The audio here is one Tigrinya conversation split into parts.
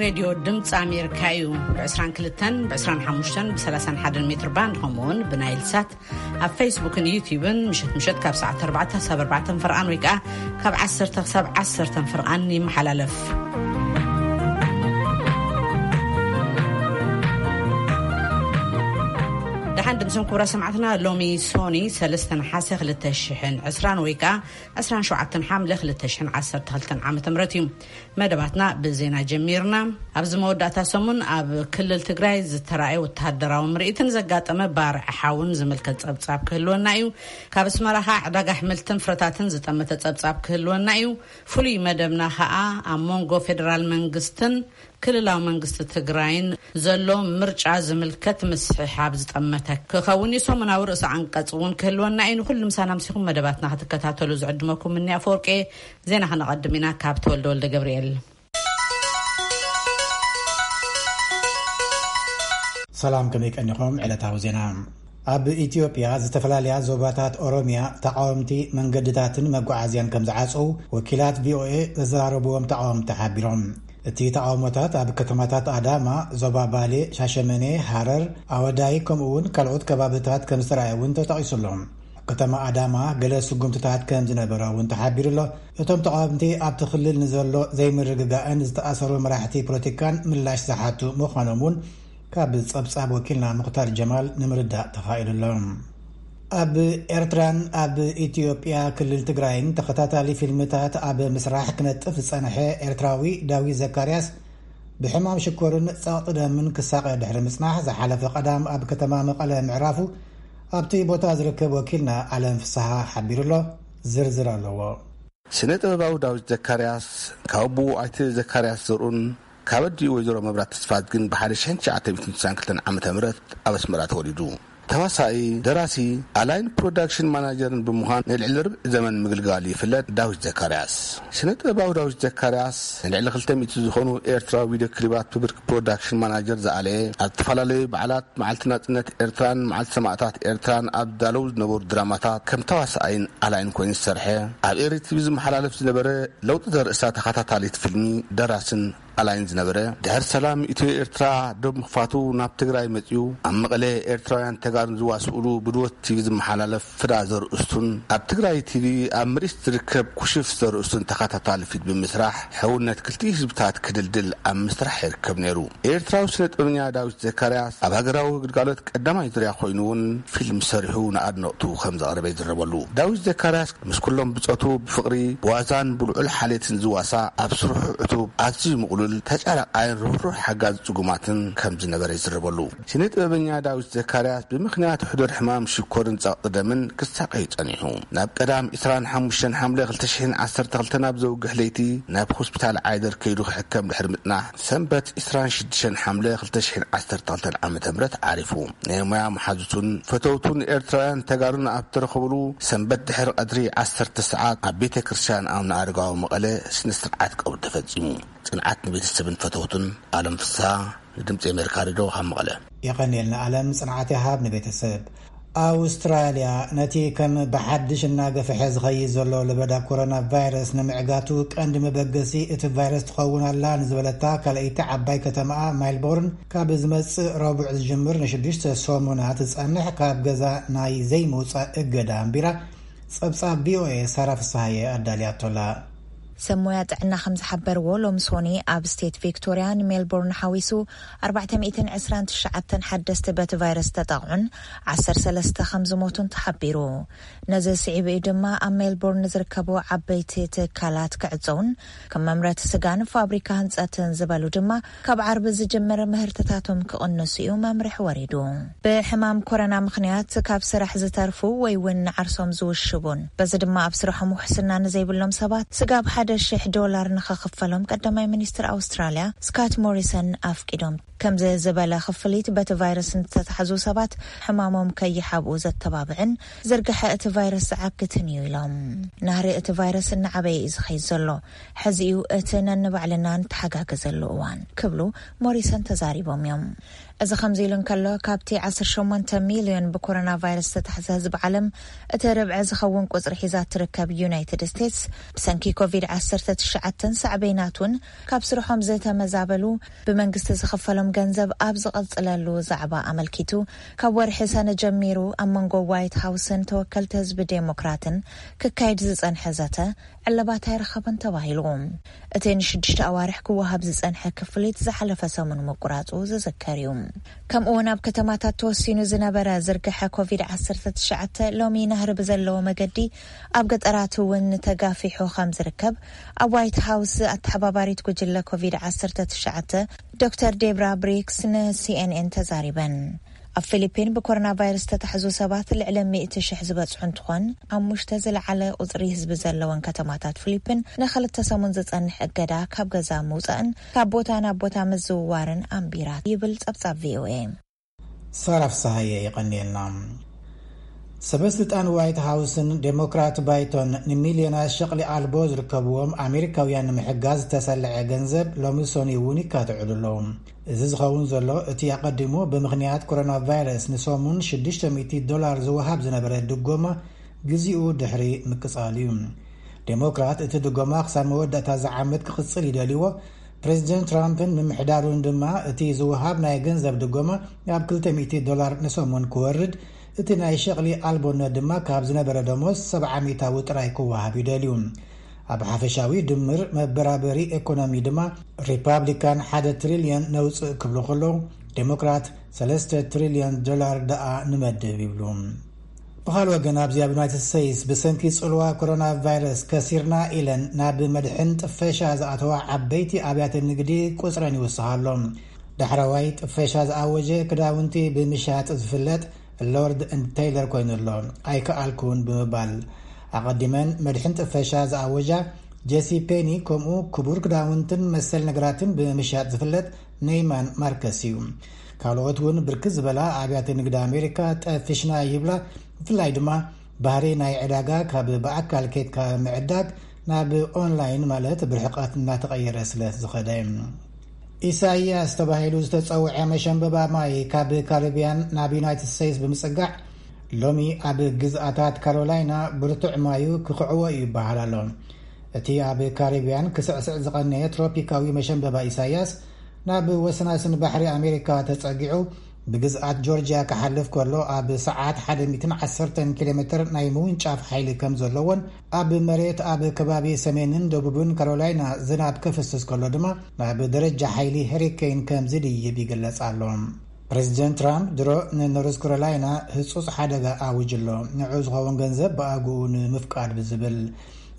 ሬድዮ ድምፂ ኣሜሪካ እዩ። ብ22፣ ብ25፣ ብ31 ሜትር ባንድ፣ ከምኡ እውን ብናይል ሳት ኣብ ፌስቡክን ዩቲዩብን ምሸት ምሸት ካብ ሰዓት ኣርባዕተ ክሳብ ኣርባዕተ ፍርቓን ወይ ከዓ ካብ ዓሰርተ ክሳብ ዓሰርተ ፍርቓን ይመሓላለፍ። ደሓን ድምፅን ክቡራ ሰማዕትና፣ ሎሚ ሶኒ ሰለስተ ነሓሰ ክልተ ሽሕን ዕስራን ወይ ከዓ ዕስራን ሸውዓተን ሓምለ ክልተ ሽሕን ዓሰርተ ክልተን ዓመተ ምህረት እዩ። መደባትና ብዜና ጀሚርና። ኣብዚ መወዳእታ ሰሙን ኣብ ክልል ትግራይ ዝተራእየ ወተሃደራዊ ምርኢትን ዘጋጠመ ባርዕ ሓውን ዝምልከት ጸብጻብ ክህልወና እዩ። ካብ ኣስመራ ኸኣ ዕዳጋ ኣሕምልትን ፍረታትን ዝጠመተ ጸብጻብ ክህልወና እዩ። ፍሉይ መደብና ኸኣ ኣብ መንጎ ፌደራል መንግስትን ክልላዊ መንግስቲ ትግራይን ዘሎ ምርጫ ዝምልከት ምስሕሓብ ዝጠመተ ክኸውን እዩ። ሰሙናዊ ርእሰ ኣንቀጽ እውን ክህልወና እዩ። ንኹሉ ምሳና ምሲኹም መደባትና ክትከታተሉ ዝዕድመኩም እኒ ኣፈወርቂ። ዜና ከነቐድም ኢና ካብ ተወልደ ወልደ ገብርኤል። ሰላም፣ ከመይ ቀኒኹም? ዕለታዊ ዜና። ኣብ ኢትዮጵያ ዝተፈላለያ ዞባታት ኦሮሚያ ተቃወምቲ መንገድታትን መጓዓዝያን ከም ዝዓጸው ወኪላት ቪኦኤ ዘዘራረብዎም ተቃወምቲ ሓቢሮም። እቲ ተቃውሞታት ኣብ ከተማታት ኣዳማ፣ ዞባ ባሌ፣ ሻሸመኔ፣ ሃረር፣ ኣወዳይ፣ ከምኡ እውን ካልኦት ከባብታት ከም ዝተራእየ እውን ተጠቒሱ ኣሎ። ኣብ ከተማ ኣዳማ ገለ ስጉምትታት ከም ዝነበረ እውን ተሓቢሩ ኣሎ። እቶም ተቃወምቲ ኣብቲ ክልል ንዘሎ ዘይምርግጋእን ዝተኣሰሩ መራሕቲ ፖለቲካን ምላሽ ዝሓቱ ምዃኖም እውን ካብ ጸብጻብ ወኪልና ሙኽታር ጀማል ንምርዳእ ተኻኢሉ ኣሎ። ኣብ ኤርትራን ኣብ ኢትዮጵያ ክልል ትግራይን ተኸታታሊ ፊልምታት ኣብ ምስራሕ ክነጥፍ ዝጸንሐ ኤርትራዊ ዳዊት ዘካርያስ ብሕማም ሽኮርን ጸቕጢ ደምን ክሳቐ ድሕሪ ምጽናሕ፣ ዝሓለፈ ቀዳም ኣብ ከተማ መቐለ ምዕራፉ ኣብቲ ቦታ ዝርከብ ወኪልና ኣለም ፍስሃ ሓቢሩ ኣሎ። ዝርዝር ኣለዎ። ስነ ጥበባዊ ዳዊት ዘካርያስ ካብ ኣቦኡ ኣይተ ዘካርያስ ዘርኡን ካብ ኣዲኡ ወይዘሮ መብራት ተስፋዝግን ብሓደ ሽሕን ትሽዓተ ሚእትን ስሳን ክልተን ዓመተ ምህረት ኣብ ኣስመራ ተወሊዱ። ተዋሳኢ፣ ደራሲ፣ ኣላይን ፕሮዳክሽን ማናጀርን ብምዃን ንልዕሊ ርብዒ ዘመን ምግልጋሉ ይፍለጥ። ዳዊት ዘካርያስ። ስነ ጥበባዊ ዳዊት ዘካርያስ ንልዕሊ ክልተ ሚእቲ ዝኾኑ ኤርትራዊ ቪድዮ ክሊባት ብብርኪ ፕሮዳክሽን ማናጀር ዝኣለየ፣ ኣብ ዝተፈላለዩ በዓላት፣ መዓልቲ ናጽነት ኤርትራን መዓልቲ ሰማእታት ኤርትራን ኣብ ዝዳለዉ ዝነበሩ ድራማታት ከም ተዋሳኣይን ኣላይን ኮይኑ ዝሰርሐ፣ ኣብ ኤሪ ቲቪ ዝመሓላለፍ ዝነበረ ለውጢ ዘርእስታ ተኸታታሊት ፊልሚ ደራስን ኣላይን ዝነበረ፣ ድሕሪ ሰላም ኢትዮ ኤርትራ ዶብ ምኽፋቱ ናብ ትግራይ መጺኡ፣ ኣብ መቐለ ኤርትራውያን ተጋሩን ዝዋስኡሉ ብድወት ቲቪ ዝመሓላለፍ ፍዳ ዘርእስቱን፣ ኣብ ትግራይ ቲቪ ኣብ ምርኢት ዝርከብ ኩሽፍ ዘርእስቱን ተኸታታሊ ፊልም ብምስራሕ፣ ሕውነት ክልቲኡ ህዝብታት ክድልድል ኣብ ምስራሕ ይርከብ ነይሩ። ኤርትራዊ ስነ ጥበበኛ ዳዊት ዘካርያስ ኣብ ሃገራዊ ግልጋሎት ቀዳማይ ዙርያ ኮይኑ እውን ፊልም ሰሪሑ ንኣድነቕቱ ከም ዘቕረበ ይዝረበሉ። ዳዊት ዘካርያስ ምስ ኩሎም ብጾቱ ብፍቕሪ፣ ብዋዛን ብልዑል ሓልየትን ዝዋሳእ፣ ኣብ ስርሑ ዕቱብ፣ ኣዝዩ ምቕሉል፣ ተጫራቃይን ርህሩህ ሓጋዚ ጽጉማትን ከም ዝነበረ ይዝረበሉ። ስነ ጥበበኛ ዳዊት ዘካርያስ ብምኽንያት ሕዱር ሕማም ሽኮርን ጸቕጢ ደምን ክሳቐይ ጸኒሑ፣ ናብ ቀዳም ዕስራን ሓሙሽተን ሓምለ ክልተ ሽሕን ዓሰርተ ክልተን ኣብ ዘውግሕ ለይቲ ናብ ሆስፒታል ዓይደር ከይዱ ክሕከም ድሕሪ ምጽናሕ፣ ሰንበት ዕስራን ሽዱሽተን ሓምለ ክልተ ሽሕን ዓሰርተ ክልተን ዓመተ ምህረት ዓሪፉ። ናይ ሞያ መሓዙቱን ፈተውቱን ኤርትራውያን ተጋሩን ኣብ ተረኸብሉ ሰንበት ድሕሪ ቀትሪ ዓሰርተ ሰዓት ኣብ ቤተ ክርስቲያን ኣቡነ ኣረጋዊ መቐለ ስነ ስርዓት ቀብሩ ተፈጺሙ። ጽንዓት ንቤተሰብን ፈተውቱን። ኣለም ፍስሃ፣ ንድምጺ ኣሜሪካ ሬድዮ ካብ መቐለ። የቐንየልና ኣለም፣ ጽንዓት ይሃብ ንቤተሰብ። ኣውስትራልያ ነቲ ከም ብሓድሽ እናገፍሐ ዝኸይድ ዘሎ ለበዳ ኮሮና ቫይረስ ንምዕጋቱ ቀንዲ መበገሲ እቲ ቫይረስ ትኸውን ኣላ ንዝበለታ ካልኣይቲ ዓባይ ከተማኣ ሜልቦርን፣ ካብ ዝመጽእ ረቡዕ ዝጅምር ንሽዱሽተ ሰሙናት ዝጸንሕ ካብ ገዛ ናይ ዘይምውጻእ እገዳ ኣንቢራ። ጸብጻብ ቪኦኤ ሳራ ፍስሃየ ኣዳልያቶላ። ሰብ ሞያ ጥዕና ከም ዝሓበርዎ፣ ሎሚ ሶኒ ኣብ ስቴት ቪክቶሪያ ንሜልቦርን ሓዊሱ ኣርባዕተ ሚእትን ዕስራን ትሽዓተን ሓደስቲ በቲ ቫይረስ ተጠቕዑን ዓሰርተ ሰለስተ ከም ዝሞቱን ተሓቢሩ። ነዚ ስዒቡ እዩ ድማ ኣብ ሜልቦርን ዝርከቡ ዓበይቲ ትካላት ክዕጸውን ከም መምረቲ ስጋን ፋብሪካ ህንጸትን ዝበሉ ድማ ካብ ዓርቢ ዝጅምር ምህርትታቶም ክቕንሱ እዩ መምርሒ ወሪዱ። ብሕማም ኮረና ምኽንያት ካብ ስራሕ ዝተርፉ ወይ እውን ንዓርሶም ዝውሽቡን በዚ ድማ ኣብ ስርሖም ውሕስና ንዘይብሎም ሰባት ስጋብ ሓደ ሽሕ ዶላር ንኸኽፈሎም ቀዳማይ ሚኒስትር ኣውስትራልያ ስካት ሞሪሰን ኣፍቂዶም። ከምዚ ዝበለ ክፍሊት በቲ ቫይረስ ንተታሕዙ ሰባት ሕማሞም ከይሓብኡ ዘተባብዕን ዝርግሐ እቲ ቫይረስ ዝዓግትን እዩ ኢሎም። ናህሪ እቲ ቫይረስ እናዓበየ እዩ ዝኸይድ ዘሎ። ሕዚ እዩ እቲ ነንባዕልና ንተሓጋገዘሉ እዋን ክብሉ ሞሪሰን ተዛሪቦም እዮም። እዚ ከምዚ ኢሉ እንከሎ፣ ካብቲ ዓሰርተ ሸሞንተ ሚልዮን ብኮሮና ቫይረስ ዝተታሕዘ ህዝቢ ዓለም እቲ ርብዒ ዝኸውን ቁጽሪ ሒዛ እትርከብ ዩናይትድ ስቴትስ፣ ብሰንኪ ኮቪድ ዓሰርተ ትሽዓተ ሳዕቤናት እውን ካብ ስርሖም ዝተመዛበሉ፣ ብመንግስቲ ዝኽፈሎም ገንዘብ ኣብ ዝቐጽለሉ ዛዕባ ኣመልኪቱ፣ ካብ ወርሒ ሰነ ጀሚሩ ኣብ መንጎ ዋይት ሃውስን ተወከልቲ ህዝቢ ዴሞክራትን ክካየድ ዝጸንሐ ዘተ ዕለባት ኣይረኸበን ተባሂሉ። እቲ ንሽዱሽተ ኣዋርሕ ክወሃብ ዝጸንሐ ክፍሊት ዝሓለፈ ሰሙን ምቁራጹ ዝዝከር እዩ። ከምኡ እውን ኣብ ከተማታት ተወሲኑ ዝነበረ ዝርግሐ ኮቪድ ዓሰርተ ትሽዓተ ሎሚ ናህሪ ብዘለዎ መገዲ ኣብ ገጠራት እውን ተጋፊሑ ከም ዝርከብ ኣብ ዋይት ሃውስ ኣተሓባባሪት ጉጅለ ኮቪድ ዓሰርተ ትሽዓተ ዶክተር ዴብራ ብሪክስ ንሲኤንኤን ተዛሪበን። ኣብ ፊሊፒን ብኮሮና ቫይረስ ዝተታሕዙ ሰባት ልዕሊ ሚእቲ ሽሕ ዝበጽሑ እንትኾን፣ ኣሙሽተ ዝለዓለ ቁጽሪ ህዝቢ ዘለወን ከተማታት ፊሊፒን ንኽልተ ሰሙን ዝጸንሕ እገዳ ካብ ገዛ ምውጻእን ካብ ቦታ ናብ ቦታ ምዝውዋርን ኣንቢራ ይብል ጸብጻብ ቪኦኤ። ሳራ ፍስሃየ የቐንየልና። ሰበስልጣን ዋይት ሃውስን ዴሞክራት ባይቶን ንሚልዮናት ሸቕሊ ኣልቦ ዝርከብዎም ኣሜሪካውያን ንምሕጋዝ ዝተሰለዐ ገንዘብ ሎሚ ሰኑይ እውን ይካትዕሉ ኣለዉ። እዚ ዝኸውን ዘሎ እቲ ኣቐዲሙ ብምኽንያት ኮሮና ቫይረስ ንሰሙን ሽዱሽተ ሚእቲ ዶላር ዝወሃብ ዝነበረ ድጎማ ግዜኡ ድሕሪ ምቅጻሉ እዩ። ዴሞክራት እቲ ድጎማ ክሳብ መወዳእታ ዝዓመት ክቕጽል ይደልይዎ። ፕሬዚደንት ትራምፕን ምምሕዳሩን ድማ እቲ ዝወሃብ ናይ ገንዘብ ድጎማ ኣብ ክልተ ሚእቲ ዶላር ንሰሙን ክወርድ፣ እቲ ናይ ሸቕሊ ኣልቦነት ድማ ካብ ዝነበረ ደሞዝ ሰብዓ ሚእታዊ ጥራይ ክወሃብ ይደልዩ። ኣብ ሓፈሻዊ ድምር መበራበሪ ኤኮኖሚ ድማ ሪፓብሊካን ሓደ ትሪልዮን ነውፅእ ክብሉ ከለዉ፣ ዴሞክራት ሰለስተ ትሪልዮን ዶላር ደኣ ንመድብ ይብሉ። ብኻል ወገን ኣብዚ ኣብ ዩናይትድ ስቴትስ ብሰንኪ ጽልዋ ኮሮና ቫይረስ ከሲርና ኢለን ናብ መድሕን ጥፈሻ ዝኣተዋ ዓበይቲ ኣብያተ ንግዲ ቁጽረን ይውስኻ ኣሎ። ዳሕረዋይ ጥፈሻ ዝኣወጀ ክዳውንቲ ብምሻጥ ዝፍለጥ ሎርድ ኤንድ ቴይለር ኮይኑ ኣሎ። ኣይከኣልኩን ብምባል ኣቐዲመን መድሕን ጥፈሻ ዝኣወጃ ጄሲ ፔኒ ከምኡ ክቡር ክዳውንትን መሰል ነገራትን ብምሻጥ ዝፍለጥ ኔይማን ማርከስ እዩ። ካልኦት እውን ብርክት ዝበላ ኣብያተ ንግዲ ኣሜሪካ ጠፊሽና ይብላ። ብፍላይ ድማ ባህሪ ናይ ዕዳጋ ካብ ብኣካል ኬድካ ምዕዳግ ናብ ኦንላይን ማለት ብርሕቀት እናተቐየረ ስለ ዝኸደ። ኢሳይያስ ተባሂሉ ዝተጸውዐ መሸንበባ ማይ ካብ ካሪብያን ናብ ዩናይትድ ስቴትስ ብምጽጋዕ ሎሚ ኣብ ግዝኣታት ካሮላይና ብርቱዕ ማዩ ክኽዕዎ እዩ ይበሃል ኣሎ። እቲ ኣብ ካሪብያን ክስዕስዕ ዝቐነየ ትሮፒካዊ መሸንበባ ኢሳይያስ ናብ ወሰናስን ባሕሪ ኣሜሪካ ተጸጊዑ ብግዝኣት ጆርጂያ ክሓልፍ ከሎ ኣብ ሰዓት ሓደ ሚእትን ዓሰርተን ኪሎ ሜትር ናይ ምውንጫፍ ሓይሊ ከም ዘለዎን ኣብ መሬት ኣብ ከባቢ ሰሜንን ደቡብን ካሮላይና ዝናብ ከፍስስ ከሎ ድማ ናብ ደረጃ ሓይሊ ሄሪኬን ከም ዝድይብ ይግለጽ ኣሎ። ፕሬዚደንት ትራምፕ ድሮ ንኖርዝ ካሮላይና ህጹጽ ሓደጋ ኣውጅ ኣሎ፣ ንዑ ዝኸውን ገንዘብ ብኣግኡ ንምፍቃድ ብዝብል።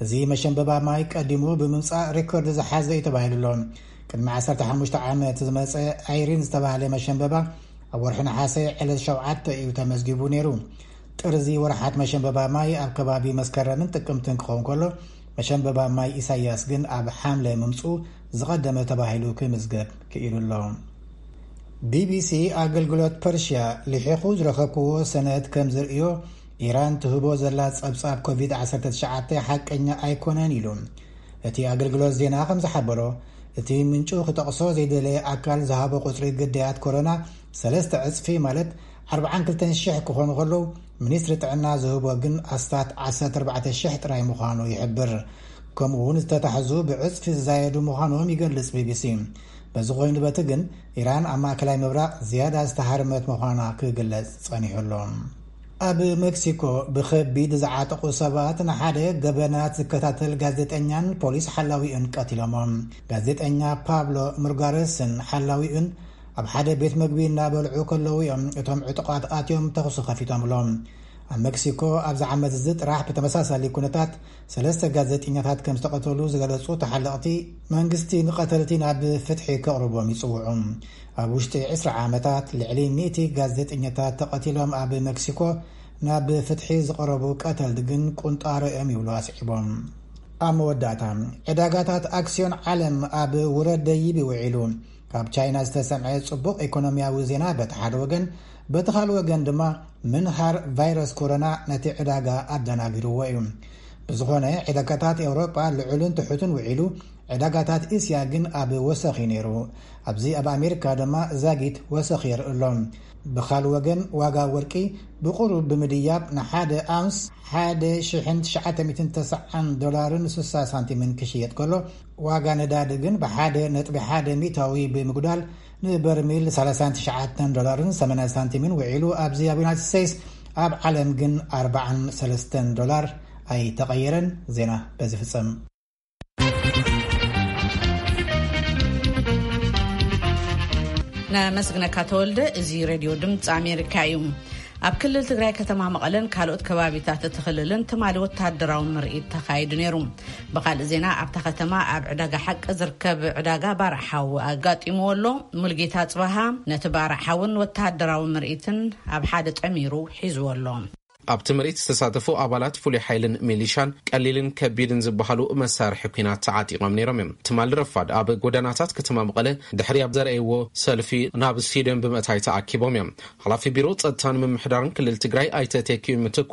እዚ መሸንበባ ማይ ቀዲሙ ብምምጻእ ሬኮርድ ዝሓዘ እዩ ተባሂሉ ኣሎ። ቅድሚ ዓሰርተ ሓሙሽተ ዓመት ዝመጸ ኣይሪን ዝተባህለ መሸንበባ ኣብ ወርሒ ነሓሰ ዕለት ሸውዓተ እዩ ተመዝጊቡ ነይሩ። ጥርዚ ወርሓት መሸንበባ ማይ ኣብ ከባቢ መስከረምን ጥቅምትን ክኸውን ከሎ፣ መሸንበባ ማይ ኢሳያስ ግን ኣብ ሓምለ ምምጹ ዝቐደመ ተባሂሉ ክምዝገብ ክኢሉ ኣሎ። ቢቢሲ ኣገልግሎት ፐርሽያ ልሒኹ ዝረኸብክዎ ሰነድ ከም ዝርእዮ፣ ኢራን ትህቦ ዘላ ጸብጻብ ኮቪድ ዓሰርተ ትሽዓተ ሓቀኛ ኣይኮነን ኢሉ። እቲ ኣገልግሎት ዜና ከም ዝሓበሮ፣ እቲ ምንጩ ክጠቕሶ ዘይደለየ ኣካል ዝሃቦ ቁጽሪ ግዳያት ኮሮና ሰለስተ ዕጽፊ ማለት ኣርባዓን ክልተን ሽሕ ክኾኑ ከለዉ፣ ሚኒስትሪ ጥዕና ዝህቦ ግን ኣስታት ዓሰርተ ኣርባዕተ ሽሕ ጥራይ ምዃኑ ይሕብር። ከምኡ እውን ዝተታሕዙ ብዕጽፊ ዝዛየዱ ምዃኖም ይገልጽ ቢቢሲ። በዚ ኮይኑ በቲ ግን ኢራን ኣብ ማእከላይ ምብራቕ ዝያዳ ዝተሃርመት ምዃና ክግለጽ ጸኒሑ ኣሎ። ኣብ ሜክሲኮ ብኸቢድ ዝዓጠቑ ሰባት ንሓደ ገበናት ዝከታተል ጋዜጠኛን ፖሊስ ሓላዊኡን ቀቲሎሞ። ጋዜጠኛ ፓብሎ ሙርጋረስን ሓላዊኡን ኣብ ሓደ ቤት መግቢ እናበልዑ ከለዉ እዮም እቶም ዕጡቓት ኣትዮም ተኹሲ ከፊቶምሎም። ኣብ ሜክሲኮ ኣብዚ ዓመት እዚ ጥራሕ ብተመሳሳሊ ኩነታት ሰለስተ ጋዜጠኛታት ከም ዝተቐተሉ ዝገለጹ ተሓለቕቲ፣ መንግስቲ ንቐተልቲ ናብ ፍትሒ ከቕርቦም ይጽውዑ። ኣብ ውሽጢ ዕስራ ዓመታት ልዕሊ ሚእቲ ጋዜጠኛታት ተቐቲሎም ኣብ ሜክሲኮ ናብ ፍትሒ ዝቐረቡ ቀተልቲ ግን ቁንጣሮ እዮም ይብሉ ኣስዒቦም። ኣብ መወዳእታ፣ ዕዳጋታት ኣክስዮን ዓለም ኣብ ውረድ ደይብ ይውዒሉ። ካብ ቻይና ዝተሰምዐ ጽቡቕ ኢኮኖሚያዊ ዜና በቲ ሓደ ወገን፣ በቲ ካልእ ወገን ድማ ምንሃር ቫይረስ ኮሮና ነቲ ዕዳጋ ኣደናጊርዎ እዩ። ብዝኾነ፣ ዕዳጋታት ኤውሮጳ ልዑልን ትሑትን ውዒሉ፣ ዕዳጋታት እስያ ግን ኣብ ወሰኽ እዩ ነይሩ። ኣብዚ ኣብ ኣሜሪካ ድማ ዛጊት ወሰኽ የርኢ ኣሎ። ብኻል ወገን ዋጋ ወርቂ ብቑሩብ ብምድያብ ንሓደ ኣውንስ ሓደ ሽሕን ትሽዓተ ሚእትን ተስዓን ዶላርን ስሳ ሳንቲምን ክሽየጥ ከሎ፣ ዋጋ ነዳዲ ግን ብሓደ ነጥቢ ሓደ ሚእታዊ ብምጉዳል ንበርሚል ሰላሳን ትሽዓተን ዶላርን ሰማንያ ሳንቲምን ውዒሉ፣ ኣብዚ ኣብ ዩናይትድ ስቴትስ፣ ኣብ ዓለም ግን ኣርባዓን ሰለስተን ዶላር ኣይተቐየረን። ዜና በዚ ፍጸም። ነመስግነካ ተወልደ። እዚ ሬድዮ ድምፂ ኣሜሪካ እዩ። ኣብ ክልል ትግራይ ከተማ መቐለን ካልኦት ከባቢታት እቲ ክልልን ትማሊ ወታደራዊ ምርኢት ተኻይዱ ነይሩ። ብኻልእ ዜና፣ ኣብታ ከተማ ኣብ ዕዳጋ ሓቂ ዝርከብ ዕዳጋ ባርዕ ሓዊ ኣጋጢምዎ ኣሎ። ሙልጌታ ጽባሃ ነቲ ባርዕ ሓውን ወታደራዊ ምርኢትን ኣብ ሓደ ጠሚሩ ሒዝዎ ኣሎ። ኣብቲ ምርኢት ዝተሳተፉ ኣባላት ፍሉይ ሓይልን ሚሊሻን ቀሊልን ከቢድን ዝበሃሉ መሳርሒ ኲናት ተዓጢቖም ነይሮም እዮም። ትማሊ ረፋድ ኣብ ጎደናታት ከተማ መቐለ ድሕሪ ኣብ ዘርኣይዎ ሰልፊ ናብ ስቴድየም ብምእታይ ተኣኪቦም እዮም። ሓላፊ ቢሮ ጸጥታን ምምሕዳርን ክልል ትግራይ ኣይተ ተኪኡ ምትኩ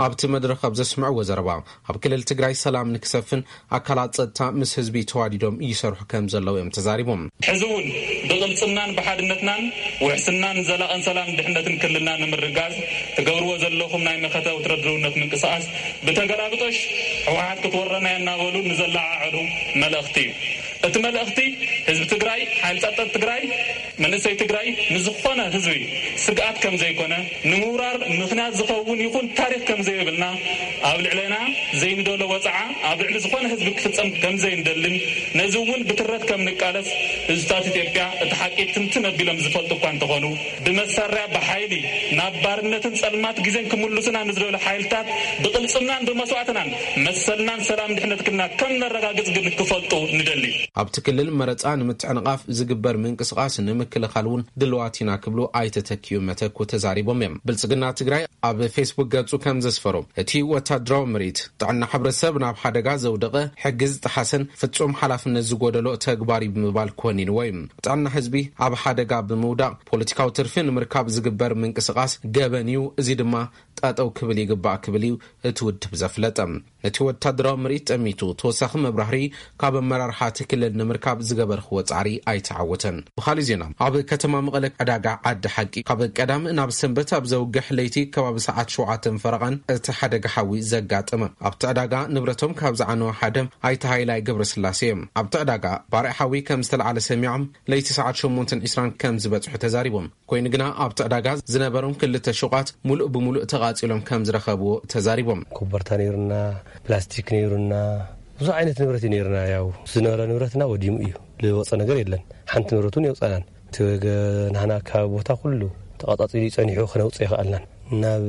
ኣብቲ መድረኽ ኣብ ዘስምዕዎ ዘረባ፣ ኣብ ክልል ትግራይ ሰላም ንክሰፍን ኣካላት ጸጥታ ምስ ህዝቢ ተዋዲዶም ይሰርሑ ከም ዘለዉ እዮም ተዛሪቦም። ሕዚ እውን ብቕልጽምናን ብሓድነትናን ውሕስናን ዘላቕን ሰላም ድሕነትን ክልልና ንምርጋዝ ትገብርዎ ዘለኹም ናይ መኸተ ወትረድርውነት ምንቅስቓስ ብተገላብጦሽ ህወሓት ክትወረና እያ እናበሉ ንዘለዓዕሉ መልእኽቲ እዩ። እቲ መልእኽቲ ህዝቢ ትግራይ፣ ሓይሊ ጸጥታ ትግራይ፣ መንእሰይ ትግራይ ንዝኾነ ህዝቢ ስግኣት ከም ዘይኮነ፣ ንምውራር ምኽንያት ዝኸውን ይኹን ታሪኽ ከም ዘይብልና፣ ኣብ ልዕሌና ዘይንደሎ ወፅዓ ኣብ ልዕሊ ዝኾነ ህዝቢ ክፍፀም ከም ዘይንደልን፣ ነዚ እውን ብትረት ከም ንቃለስ ህዝብታት ኢትዮጵያ እቲ ሓቂ ትንትን ኣቢሎም ዝፈልጡ እኳ እንተኾኑ፣ ብመሳርያ ብሓይሊ ናብ ባርነትን ጸልማት ግዜን ክምልሱና ንዝደሉ ሓይልታት ብቕልጽምናን ብመስዋዕትናን መሰልናን ሰላም ድሕነት ክልና ከም ነረጋግጽ ግን ክፈልጡ ንደሊ። ኣብቲ ክልል መረጻ ንምትዕንቓፍ ዝግበር ምንቅስቓስ ንምክልኻል እውን ድልዋት ኢና ክብሉ ኣይተ ተኪኡ መተኩ ተዛሪቦም እዮም። ብልጽግና ትግራይ ኣብ ፌስቡክ ገጹ ከም ዘስፈሮ፣ እቲ ወታደራዊ ምርኢት ጥዕና ሕብረተሰብ ናብ ሓደጋ ዘውደቐ፣ ሕጊ ዝጠሓሰን ፍጹም ሓላፍነት ዝጎደሎ ተግባር እዩ ብምባል ኮኒንዎ እዩ። ጥዕና ህዝቢ ኣብ ሓደጋ ብምውዳቕ ፖለቲካዊ ትርፊ ንምርካብ ዝግበር ምንቅስቓስ ገበን እዩ፣ እዚ ድማ ጠጠው ክብል ይግባእ ክብል እዩ እቲ ውድብ ዘፍለጠ። ነቲ ወታደራዊ ምርኢት ጠሚቱ ተወሳኺ መብራህርሂ ካብ ኣመራርሓ እቲ ክልል ንምርካብ ዝገበርክዎ ጻዕሪ ኣይተዓወተን። ብኻልእ ዜና፣ ኣብ ከተማ መቐለ ዕዳጋ ዓዲ ሓቂ ካብ ቀዳም ናብ ሰንበት ኣብ ዘውግሕ ለይቲ ከባቢ ሰዓት ሸውዓተን ፈረቓን እቲ ሓደጋ ሓዊ ዘጋጠመ። ኣብቲ ዕዳጋ ንብረቶም ካብ ዝዓነወ ሓደ ኣይተ ሃይላይ ገብረስላሴ እዮም። ኣብቲ ዕዳጋ ባርዕ ሓዊ ከም ዝተለዓለ ሰሚዖም ለይቲ ሰዓት ሸሞንተን ዕስራን ከም ዝበጽሑ ተዛሪቦም። ኮይኑ ግና ኣብቲ ዕዳጋ ዝነበሮም ክልተ ሹቓት ሙሉእ ብሙሉእ ተቓጺሎም ከም ዝረኸብዎ ተዛሪቦም። ኮበርታ ነይሩና፣ ፕላስቲክ ነይሩና፣ ብዙሕ ዓይነት ንብረት እዩ ነይሩና። ያው ዝነበረ ንብረትና ወዲሙ እዩ፣ ዝወፀ ነገር የለን። ሓንቲ ንብረት እውን የውፀናን። እቲ ገ-፣ ናህና ካብ ቦታ ኩሉ ተቓጻጺሉ ጸኒሑ ክነውፅእ ይኽኣልናን። ናብ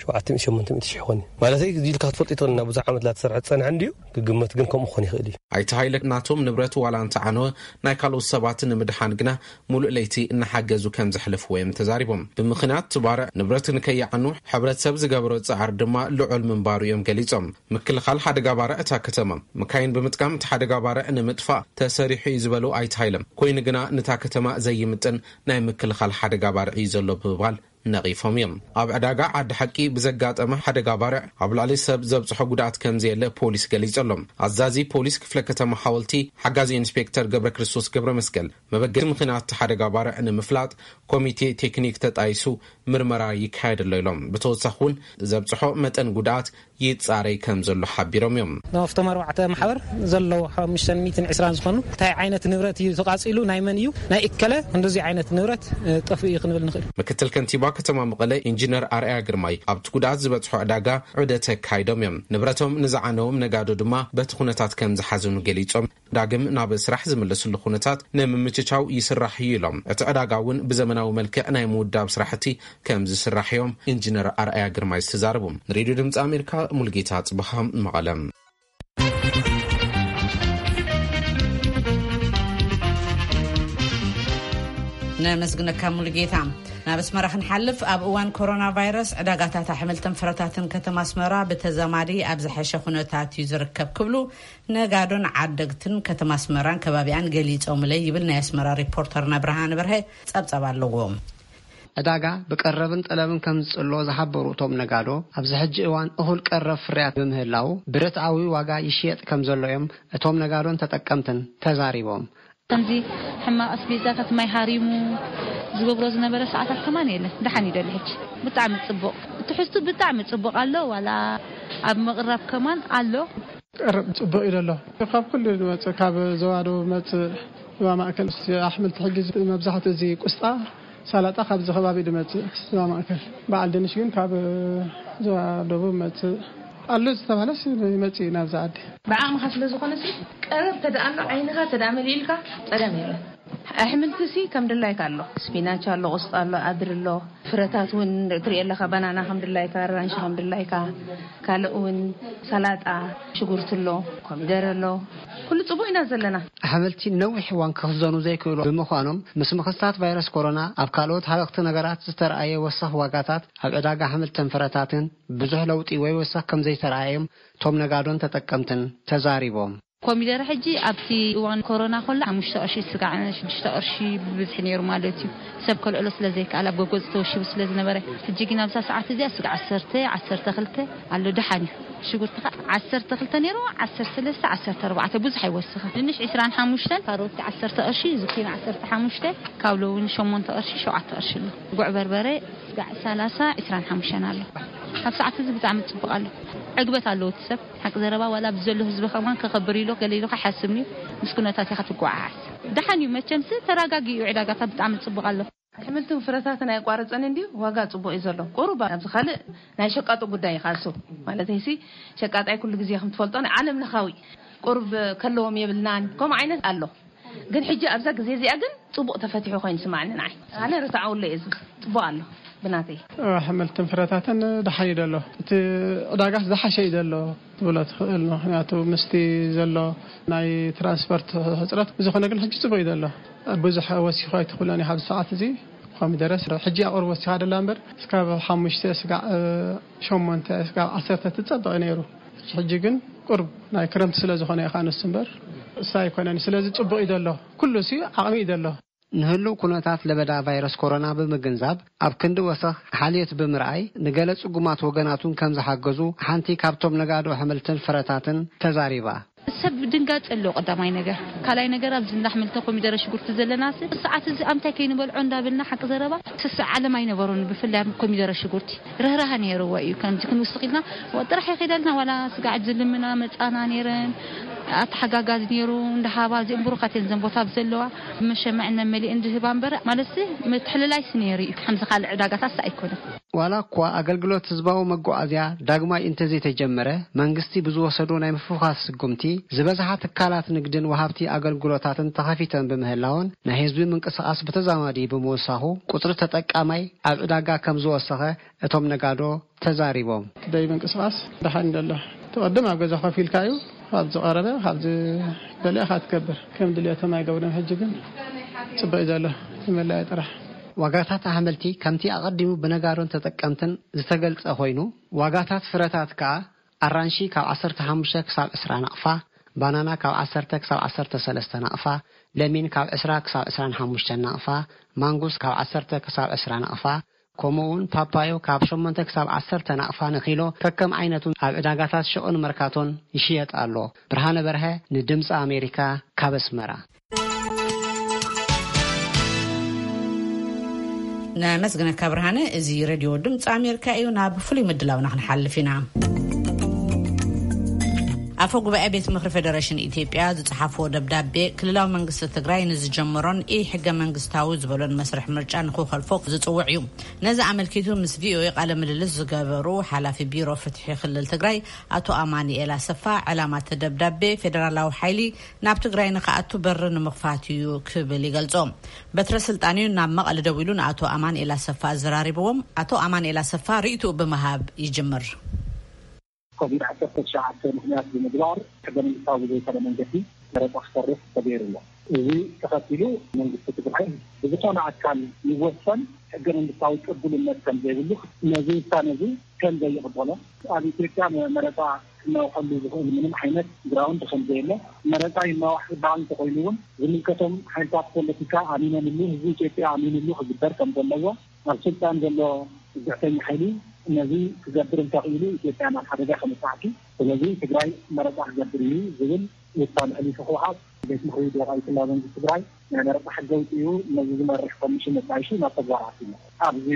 ሸውዓተ ሚእቲ ሸሞንተ ሚእቲ ሺሕ ይኾን እዩ። ማለተይ፣ እዚ ኢልካ ክትፈልጦ ይትኽእል፣ ናብ ብዙሕ ዓመት ላተሰርሐ ዝጸንሐ እንድዩ፣ ክግመት ግን ከምኡ ክኾን ይኽእል እዩ። ኣይተ ሃይለ ናቶም ንብረት ዋላ እንተዓነወ፣ ናይ ካልኦት ሰባት ንምድሓን ግና ሙሉእ ለይቲ እናሓገዙ ከም ዘሕልፍዎ እዮም ተዛሪቦም። ብምኽንያት እቲ ባርዕ ንብረት ንከይዓኑ ሕብረተሰብ ዝገበሮ ጻዕሪ ድማ ልዑል ምንባሩ እዮም ገሊጾም። ምክልኻል ሓደጋ ባርዕ እታ ከተማ፣ መካይን ብምጥቃም እቲ ሓደጋ ባርዕ ንምጥፋእ ተሰሪሑ እዩ ዝበሉ ኣይተ ሃይለ፣ ኮይኑ ግና ነታ ከተማ ዘይምጥን ናይ ምክልኻል ሓደጋ ባርዕ እዩ ዘሎ ብምባል ነቒፎም እዮም። ኣብ ዕዳጋ ዓዲ ሓቂ ብዘጋጠመ ሓደጋ ባርዕ ኣብ ልዕሊ ሰብ ዘብጽሖ ጉድኣት ከም ዘየለ ፖሊስ ገሊጹ ኣሎ። ኣዛዚ ፖሊስ ክፍለ ከተማ ሓወልቲ ሓጋዚ ኢንስፔክተር ገብረ ክርስቶስ ገብረ መስቀል፣ መበገሲ ምኽንያት እቲ ሓደጋ ባርዕ ንምፍላጥ ኮሚቴ ቴክኒክ ተጣይሱ ምርመራ ይካየደሎ ኢሎም። ብተወሳኺ እውን ዘብጽሖ መጠን ጉድኣት ይጻረይ ከም ዘሎ ሓቢሮም እዮም። ኣብቶም ኣርባዕተ ማሕበር ዘለዉ ሓሙሽተ ሚእትን ዕስራን ዝኾኑ፣ እንታይ ዓይነት ንብረት እዩ ተቓጺሉ፣ ናይ መን እዩ፣ ናይ እከለ እንደዚ ዓይነት ንብረት፣ እ፣ ጠፍኡ እዩ ክንብል ንኽእል። ምክትል ከንቲባ ከተማ መቐለ ኢንጂነር ኣርኣያ ግርማይ፣ ኣብቲ ጉድኣት ዝበጽሖ ዕዳጋ ዑደት ኣካይዶም እዮም። ንብረቶም ንዝዓነዎም ነጋዶ ድማ በቲ ኩነታት ከም ዝሓዘኑ ገሊጾም፣ ዳግም ናብ ስራሕ ዝምለስሉ ኩነታት ንምምችቻው ይስራሕ እዩ ኢሎም። እቲ ዕዳጋ እውን ብዘመናዊ መልክዕ ናይ ምውዳብ ስራሕቲ ከም ዝስራሕ እዮም ኢንጂነር ኣርኣያ ግርማይ ዝተዛረቡ። ንሬድዮ ድምፂ ኣሜሪካ ሙልጌታ ጽብሃ መቐለ። ነመስግነካ ሙሉጌታ። ናብ ኣስመራ ክንሓልፍ፣ ኣብ እዋን ኮሮና ቫይረስ ዕዳጋታት ኣሕምልትን ፍረታትን ከተማ ኣስመራ ብተዛማዲ ኣብ ዝሐሸ ኩነታት እዩ ዝርከብ ክብሉ ነጋዶን ዓደግትን ከተማ ኣስመራን ከባቢኣን ገሊጾምለይ ይብል ናይ ኣስመራ ሪፖርተርና ብርሃነ በርሀ ጸብጸብ ኣለዎ። ዕዳጋ ብቀረብን ጠለብን ከም ዝጽሎ ዝሓበሩ እቶም ነጋዶ፣ ኣብዚ ሕጂ እዋን እኹል ቀረብ ፍርያት ብምህላው ብርትዓዊ ዋጋ ይሽየጥ ከም ዘሎ እዮም እቶም ነጋዶን ተጠቀምትን ተዛሪቦም። ከምዚ ሕማቕ ኣስቤዛታት ማይ ሃሪሙ ዝገብሮ ዝነበረ ሰዓታት ከማን የለን። ደሓን እዩ ደሎ ሕጂ። ብጣዕሚ ጽቡቕ። ትሕዝቱ ብጣዕሚ ጽቡቕ ኣሎ። ዋላ ኣብ ምቕራብ ከማን ኣሎ። ቀረብ ጽቡቕ እዩ ደሎ። ካብ ኩሉ ዝመጽእ፣ ካብ ዞባ ደቡብ መጽእ፣ ዞባ ማእከል፣ ኣሕምልቲ ሕጂ መብዛሕትኡ እዚ ቁስጣ፣ ሰላጣ ካብዚ ከባቢ ድመጽእ፣ ዞባ ማእከል። በዓል ድንሽ ግን ካብ ዞባ ደቡብ መጽእ ኣሎ ዝተባህለስ ይመጽእ እዩ ናብዛ ዓዲ። ብዓቕምኻ ስለ ዝኾነ ሲ፣ ቀረብ ተደኣ ኣሎ፣ ዓይንኻ ተደኣ መሊእልካ፣ ጸገም የለን። ኣሕምልቲ ሲ ከም ድላይካ ኣሎ። ስፒናች ኣሎ፣ ቆስጣ ኣሎ፣ ኣድሪ ኣሎ። ፍረታት እውን ትሪኦ ኣለኻ፣ ባናና ከም ድላይካ፣ ኣራንሺ ከም ድላይካ፣ ካልእ እውን ሰላጣ፣ ሽጉርቲ ኣሎ፣ ኮሚደረ ኣሎ። ኩሉ ጽቡቕ ኢና ዘለና። ኣሕምልቲ ነዊሕ እዋን ክኽዘኑ ዘይክእሉ ብምዃኖም፣ ምስ ምኽስታት ቫይረስ ኮሮና ኣብ ካልኦት ሃለኽቲ ነገራት ዝተረኣየ ወሰኽ ዋጋታት ኣብ ዕዳጋ ኣሕምልትን ፍረታትን ብዙሕ ለውጢ ወይ ወሰኽ ከም ዘይተረኣየም እቶም ነጋዶን ተጠቀምትን ተዛሪቦም። ኮሚደረ ሕጂ ኣብቲ እዋን ኮሮና ከሎ ሓሙሽተ ቅርሺ ስጋዕ፣ ሽዱሽተ ቅርሺ ብብዝሒ ነይሩ ማለት እዩ። ሰብ ከልዕሎ ስለ ዘይከኣል ኣብ ጎጎፅ ተወሺቡ ስለ ዝነበረ፣ ሕጂ ግን ኣብዛ ሰዓት እዚኣ ስጋዕ ዓሰርተ፣ ዓሰርተ ክልተ ኣሎ፣ ደሓን እዩ። ሽጉርቲ ኸ ዓሰርተ ክልተ ነይሩ፣ ዓሰርተ ሰለስተ፣ ዓሰርተ ኣርባዕተ፣ ብዙሕ ኣይወስኸ። ድንሽ ዕስራን ሓሙሽተን፣ ካሮት ዓሰርተ ቅርሺ፣ ዝኪኒ ዓሰርተ ሓሙሽተ፣ ካብሎ እውን ሸሞንተ ቅርሺ፣ ሸውዓተ ቅርሺ ኣሎ። ጉዕ በርበረ ስጋዕ ሰላሳ፣ ዕስራን ሓሙሽተን ኣሎ። ኣብ ሰዓት እዚ ብጣዕሚ ጽቡቕ ኣሎ። ዕግበት ኣለዎ እቲ ሰብ። ሓቂ ዘረባ ዋላ ኣብዚ ዘሎ ህዝቢ ከማን ከኸብር ኢሎ ገለ ኢሎ ከሓስብኒ ምስ ኩነታት ኢኻ ትጓዓዓዝ። ደሓን እዩ መቸምስ ተረጋጊኡ ዕዳጋታት ብጣዕሚ ጽቡቕ ኣሎ። ኣሕምልትን ፍረታትን ኣይቋረጸን እንድዩ፣ ዋጋ ጽቡቕ እዩ ዘሎ። ቁሩብ ኣብዚ ካልእ ናይ ሸቃጦ ጉዳይ እዩ ካልሱ። ማለተይሲ ሸቃጣይ ኩሉ ግዜ ከም ትፈልጦ ናይ ዓለም ለኻዊ ቁሩብ ከለዎም የብልናን፣ ከምኡ ዓይነት ኣሎ። ግን ሕጂ ኣብዛ ግዜ እዚኣ ግን ጽቡቕ ተፈቲሑ ኮይኑ ስማዕኒ ንዓይ። ኣነ ርትዓውሎ እየ ዝብል። ጽቡቕ ኣሎ ብናተይ። ኣሕምልትን ፍረታትን ደሓን እዩ ዘሎ። እቲ ዕዳጋስ ዝሓሸ እዩ ዘሎ ትብሎ ትኽእል። ምኽንያቱ ምስቲ ዘሎ ናይ ትራንስፖርት ሕጽረት ብዝኾነ ግን ሕጂ ጽቡቕ እዩ ዘሎ። ብዙሕ ወሲኹ ኣይትኽእሎን ኢኻ ኣብዚ ሰዓት እዚ። ኮሚደረስ ሕጂ ኣቕርቦ ወሲኻ ደላ እምበር እስካብ ሓሙሽተ ስጋዕ፣ እ፣ ሸሞንተ ስጋዕ ዓሰርተ ትጸበቕ ነይሩ። ሕጂ ግን ቁርብ ናይ ክረምቲ ስለ ዝኾነ ኢኻ ንሱ እምበር እሳ ኣይኮነን። ስለዚ ጽቡቕ እዩ ዘሎ። ኩሉ ሲ ዓቕሚ እዩ ዘሎ። ንህሉው ኩነታት ለበዳ ቫይረስ ኮሮና ብምግንዛብ፣ ኣብ ክንዲ ወሰኽ ሓልዮት ብምርኣይ፣ ንገለ ጽጉማት ወገናቱን ከም ዝሓገዙ ሓንቲ ካብቶም ነጋዶ ኣሕምልትን ፍረታትን ተዛሪባ። ሰብ ድንጋጸ ኣለዎ ቀዳማይ ነገር። ካልኣይ ነገር ኣብዚ እንዳ ኣሕምልቲ ኮሚደረ ሽጉርቲ ዘለናስ ሰዓት እዚ ኣምታይ ከይንበልዖ እንዳበልና ሓቂ ዘረባ ስስዕ ዓለም ኣይነበሮን። ብፍላይ ኣብ ኮሚደረ ሽጉርቲ ርህራሀ ነይርዎ እዩ። ከምዚ ክንውስኽ ኢልና ጥራሕ ይኸዳልና ዋላ ስጋዕ ዝልምና መጻና ነይረን። ኣተሓጋጋዚ ነይሩ እንዳሃባ እዚኦም ብሩኻት እየን ዘን ቦታ ዘለዋ መሸመዕን መመሊእን ዝህባ እምበር ማለትሲ ምትሕልላይሲ ነይሩ እዩ። ከምዚ ካልእ ዕዳጋታትስ ኣይኮነን። ዋላ እኳ ኣገልግሎት ህዝባዊ መጓዓዝያ ዳግማይ እንተዘይተጀመረ፣ መንግስቲ ብዝወሰዶ ናይ ምፍዃስ ስጉምቲ፣ ዝበዝሓ ትካላት ንግድን ወሃብቲ ኣገልግሎታትን ተኸፊተን ብምህላወን፣ ናይ ህዝቢ ምንቅስቓስ ብተዛማዲ ብምውሳኹ፣ ቁጽሪ ተጠቃማይ ኣብ ዕዳጋ ከም ዝወሰኸ እቶም ነጋዶ ተዛሪቦም። ደይ ምንቅስቓስ ደሓን ደሎ። ትቐድም ኣብ ገዛ ኮፍ ኢልካ እዩ። ካብ ዝቐረበ፣ ካብ ዝበለዕኻ ትገብር። ከም ድልየቶም ኣይገብርን። ሕጂ ግን ጽቡቕ እዩ ዘሎ። ንመላእ ጥራሕ። ዋጋታት ኣሕምልቲ ከምቲ ኣቐዲሙ ብነጋዶን ተጠቀምትን ዝተገልጸ ኮይኑ፣ ዋጋታት ፍረታት ከኣ ኣራንሺ ካብ ዓሰርተ ሓሙሽተ ክሳብ ዕስራ ናቕፋ፣ ባናና ካብ ዓሰርተ ክሳብ ዓሰርተ ሰለስተ ናቕፋ፣ ለሚን ካብ ዕስራ ክሳብ ዕስራን ሓሙሽተን ናቕፋ፣ ማንጉስ ካብ ዓሰርተ ክሳብ ዕስራ ናቕፋ፣ ከምኡውን ፓፓዮ ካብ ሸሞንተ ክሳብ ዓሰርተ ናቕፋ ንኪሎ ከከም ዓይነቱ ኣብ ዕዳጋታት ሸቕን መርካቶን ይሽየጥ ኣሎ። ብርሃነ በርሀ ንድምፂ ኣሜሪካ ካብ ኣስመራ። ነመስግነካ ብርሃነ። እዚ ሬድዮ ድምፂ ኣሜሪካ እዩ። ናብ ፍሉይ ምድላውና ክንሓልፍ ኢና። ኣፈ ጉባኤ ቤት ምኽሪ ፌደሬሽን ኢትዮጵያ ዝጸሓፍዎ ደብዳቤ ክልላዊ መንግስቲ ትግራይ ንዝጀመሮን ኢ ሕገ መንግስታዊ ዝበሎን መስርሕ ምርጫ ንክኸልፎ ዝጽውዕ እዩ። ነዚ ኣመልኪቱ ምስ ቪኦኤ ቃለ ምልልስ ዝገበሩ ሓላፊ ቢሮ ፍትሒ ክልል ትግራይ ኣቶ ኣማኑኤል ኣሰፋ፣ ዕላማ እቲ ደብዳቤ ፌደራላዊ ሓይሊ ናብ ትግራይ ንክኣቱ በሪ ንምኽፋት እዩ ክብል ይገልጾ። በትረ ስልጣን'ዩ ናብ መቐለ ደዊሉ ንኣቶ ኣማኑኤል ኣሰፋ ኣዘራሪብዎም። ኣቶ ኣማኑኤል ኣሰፋ ርእይትኡ ብምሃብ ይጅምር። ኮቪድ ዓሰርተ ትሽዓተ ምኽንያት ብምግባር ሕገ መንግስታዊ ብዘይኮነ መንገዲ መረፃ ክሰርሕ ተገይሩ ኣሎ። እዚ ተኸቲሉ መንግስቲ ትግራይ ብዝኾነ ኣካል ይወሰን ሕገ መንግስታዊ ቅቡልነት ከም ዘይብሉ፣ ነዚ ውሳነ እዚ ከም ዘይቕበሎ፣ ኣብ ኢትዮጵያ መ-፣ መረፃ ክናዋሐሉ ዝኽእል ምንም ዓይነት ግራውንድ ከም ዘየለ፣ መረፃ ይናዋሕ ዝበሃል እንተኾይኑ እውን ዝምልከቶም ሓይልታት ፖለቲካ ኣሚኖምሉ፣ ህዝቢ ኢትዮጵያ ኣሚኑሉ ክግበር ከም ዘለዎ፣ ኣብ ስልጣን ዘሎ ግዕተኛ ሓይሊ ነዚ ክገብር እንተኽኢሉ ኢትዮጵያ ናብ ሓደጋ ከምፅሓቲ፣ ስለዚ ትግራይ መረፃ ክገብር እዩ ዝብል ውሳነ ሕሊፉ ህወሓት ቤት ምኽሪ ብሄራዊ ክልላዊ መንግስቲ ትግራይ ናይ መረፃ ሕጊ ኣውፂኡ ነዚ ዝመርሕ ኮሚሽን ኣጣይሹ ናብ ተግባር ኣትዩ። ኣብዚ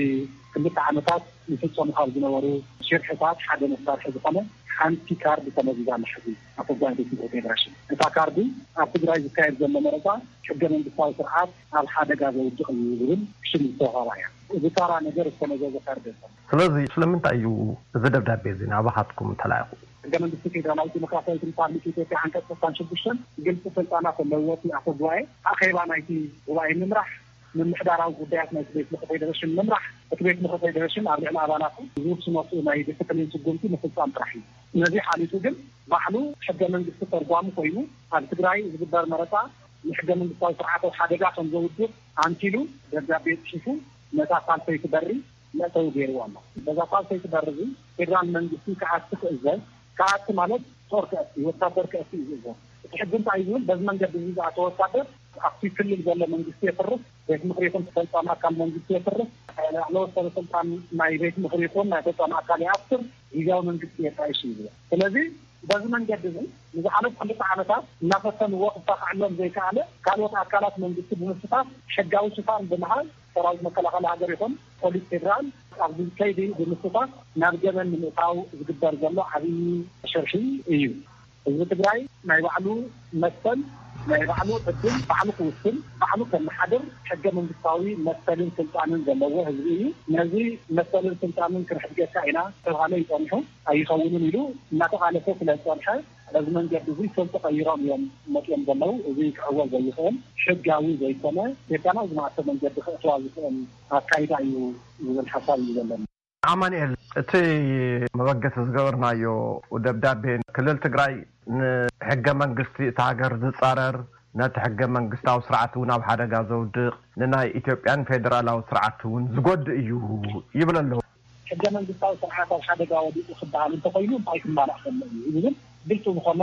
ክልተ ዓመታት ይፍፀሙ ካብ ዝነበሩ ሽርሕታት ሓደ መሳርሒ ዝኾነ ሓንቲ ካርድ ተመዚዛ ኣላ። ሕዚ ኣፈ ጉባኤ ቤት ምኽሪ ፌዴሬሽን እታ ካርዲ ኣብ ትግራይ ዝካየድ ዘሎ መረፃ ሕገ መንግስታዊ ስርዓት ኣብ ሓደጋ ዘውድቕ እዩ ዝብል ሽም ዝተዋህባ እያ። እዚ ታራ ነገር ዝተመዘዘ ካርድ የለን። ስለዚ ስለምንታይ እዩ እዚ ደብዳቤ እዚ ናባኻትኩም ተላኢኹ? ሕገ መንግስቲ ፌዴራላዊት ዲሞክራሲያዊት ሪፓብሊክ ኢትዮጵያ ዓንቀፅ ሰሳን ሽዱሽተን ግልፂ ስልጣናት ኣለዎ። እቲ ኣፈ ጉባኤ ኣኼባ ናይቲ ጉባኤ ምምራሕ፣ ምምሕዳራዊ ጉዳያት ናይቲ ቤት ምኽሪ ፌዴሬሽን ምምራሕ፣ እቲ ቤት ምኽሪ ፌዴሬሽን ኣብ ልዕሊ ኣባላቱ ዝውስኖ ናይ ዲስፕሊን ስጉምቲ ምፍፃም ጥራሕ እዩ። ነዚ ሓሊፉ ግን ባዕሉ ሕገ መንግስቲ ተርጓሚ ኮይኑ ኣብ ትግራይ ዝግበር መረፃ ንሕገ መንግስታዊ ስርዓት ኣብ ሓደጋ ከም ዘውድቕ ኣንኪሉ ደብዳቤ ፅሒፉ ነታ ሳልሰይቲ በሪ መእተዊ ገይርዎ ኣሎ። በዛ ሳልሰይቲ በሪ እዚ ፌዴራል መንግስቲ ክኣቲ ክእዘዝ፣ ክኣቲ ማለት ጦር ክኣቲ፣ ወታደር ክኣቲ እዩ ዝእዘዝ። እቲ ሕጊ እንታይ እዩ ዝብል? በዚ መንገዲ እዚ ዝኣተወ ወታደር ኣብቲ ክልል ዘሎ መንግስቲ የፍርስ፣ ቤት ምኽሪ ይኹን ፈፃሚ ኣካል መንግስቲ የፍርስ፣ ላዕለዎት ሰበ ስልጣን ናይ ቤት ምኽሪ ይኹን ናይ ፈፃሚ ኣካል ይኣስር፣ ግዝያዊ መንግስቲ የጣይሽ እዩ ዝብል። ስለዚ በዚ መንገዲ እዚ ንዝሓለፉ ክልተ ዓመታት እናፈተንዎ ክሳኽዐሎም ዘይከኣለ ካልኦት ኣካላት መንግስቲ ብምስታፍ ሕጋዊ ሽፋን ብምሃብ ሰራዊት መከላኸሊ ሃገር ይኹን ፖሊስ ፌዴራል ኣብዚ ከይዲ ብምስታፍ ናብ ገበን ንምእታው ዝግበር ዘሎ ዓብዪ ሽርሒ እዩ። ህዝቢ ትግራይ ናይ ባዕሉ መሰል፣ ናይ ባዕሉ ዕድል ባዕሉ ክውስን፣ ባዕሉ ከመሓድር ሕገ መንግስታዊ መሰልን ስልጣንን ዘለዎ ህዝቢ እዩ። ነዚ መሰልን ስልጣንን ክንሕድገካ ኢና ተባሃለ ይጸንሑ ኣይኸውንን ኢሉ እናተቓለሰ ስለ ዝጸንሐ በዚ መንገዲ እዚ ስም ተቐይሮም እዮም መፅዮም ዘለዉ። እዚ ክዕወት ዘይኽእል ሕጋዊ ዘይኮነ ኢትዮጵያ ናብ ዝመኣሰ መንገዲ ክእትዋ ዝኽእል ኣካይዳ እዩ ዝብል ሓሳብ እዩ ዘለኒ። ኣማንኤል፣ እቲ መበገሲ ዝገበርናዮ ደብዳቤ ክልል ትግራይ ንሕገ መንግስቲ እቲ ሃገር ዝፃረር፣ ነቲ ሕገ መንግስታዊ ስርዓት እውን ኣብ ሓደጋ ዘውድቕ፣ ንናይ ኢትዮጵያን ፌደራላዊ ስርዓት እውን ዝጎድእ እዩ ይብል ኣለዉ። ሕገ መንግስታዊ ስርዓት ኣብ ሓደጋ ወዲቑ ክበሃል እንተኾይኑ እንታይ ክማላእ ከሎ እዩ ዝብል ግልፂ ዝኾነ